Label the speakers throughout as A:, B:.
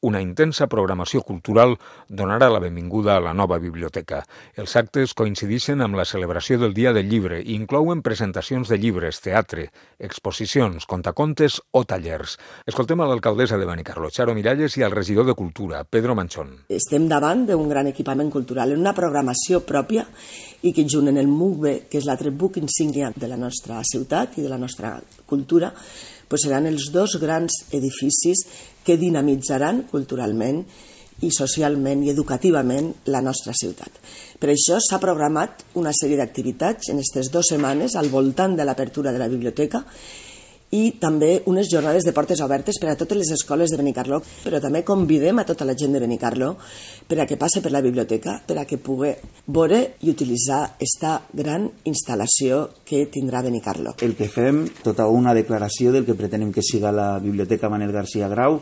A: Una intensa programació cultural donarà la benvinguda a la nova biblioteca. Els actes coincideixen amb la celebració del Dia del Llibre i inclouen presentacions de llibres, teatre, exposicions, contacontes o tallers. Escoltem a l'alcaldessa de Benicarló, Charo Miralles, i al regidor de Cultura, Pedro Manchón.
B: Estem davant d'un gran equipament cultural, en una programació pròpia i que junt en el MUCBE, que és l'altre buc insígnia de la nostra ciutat i de la nostra cultura, seran els dos grans edificis que dinamitzaran culturalment i socialment i educativament la nostra ciutat. Per això s'ha programat una sèrie d'activitats en aquestes 2 setmanes al voltant de l'apertura de la biblioteca i també unes jornades de portes obertes per a totes les escoles de Benicarló, però també convidem a tota la gent de Benicarló per a que passe per la biblioteca, per a que pugui veure i utilitzar aquesta gran instal·lació que tindrà Benicarló.
C: El que fem, tota una declaració del que pretenem que siga la Biblioteca Manel García Grau,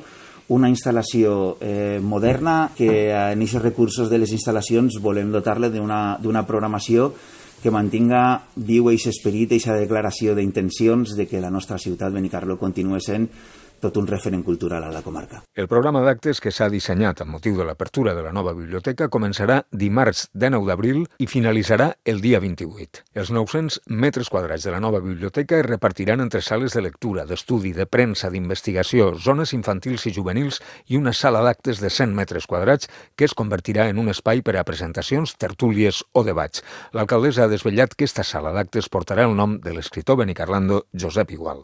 C: una instal·lació moderna que en aquests recursos de les instal·lacions volem dotar-la d'una programació que mantinga viu aquest esperit, aquesta declaració d'intencions de que la nostra ciutat, Benicarló, continua sent tot un referent cultural a la comarca.
A: El programa d'actes que s'ha dissenyat amb motiu de l'apertura de la nova biblioteca començarà dimarts 19 d'abril i finalitzarà el dia 28. Els 900 metres quadrats de la nova biblioteca es repartiran entre sales de lectura, d'estudi, de premsa, d'investigació, zones infantils i juvenils i una sala d'actes de 100 metres quadrats que es convertirà en un espai per a presentacions, tertúlies o debats. L'alcaldessa ha desvetllat que aquesta sala d'actes portarà el nom de l'escriptor benicarlando Josep Igual.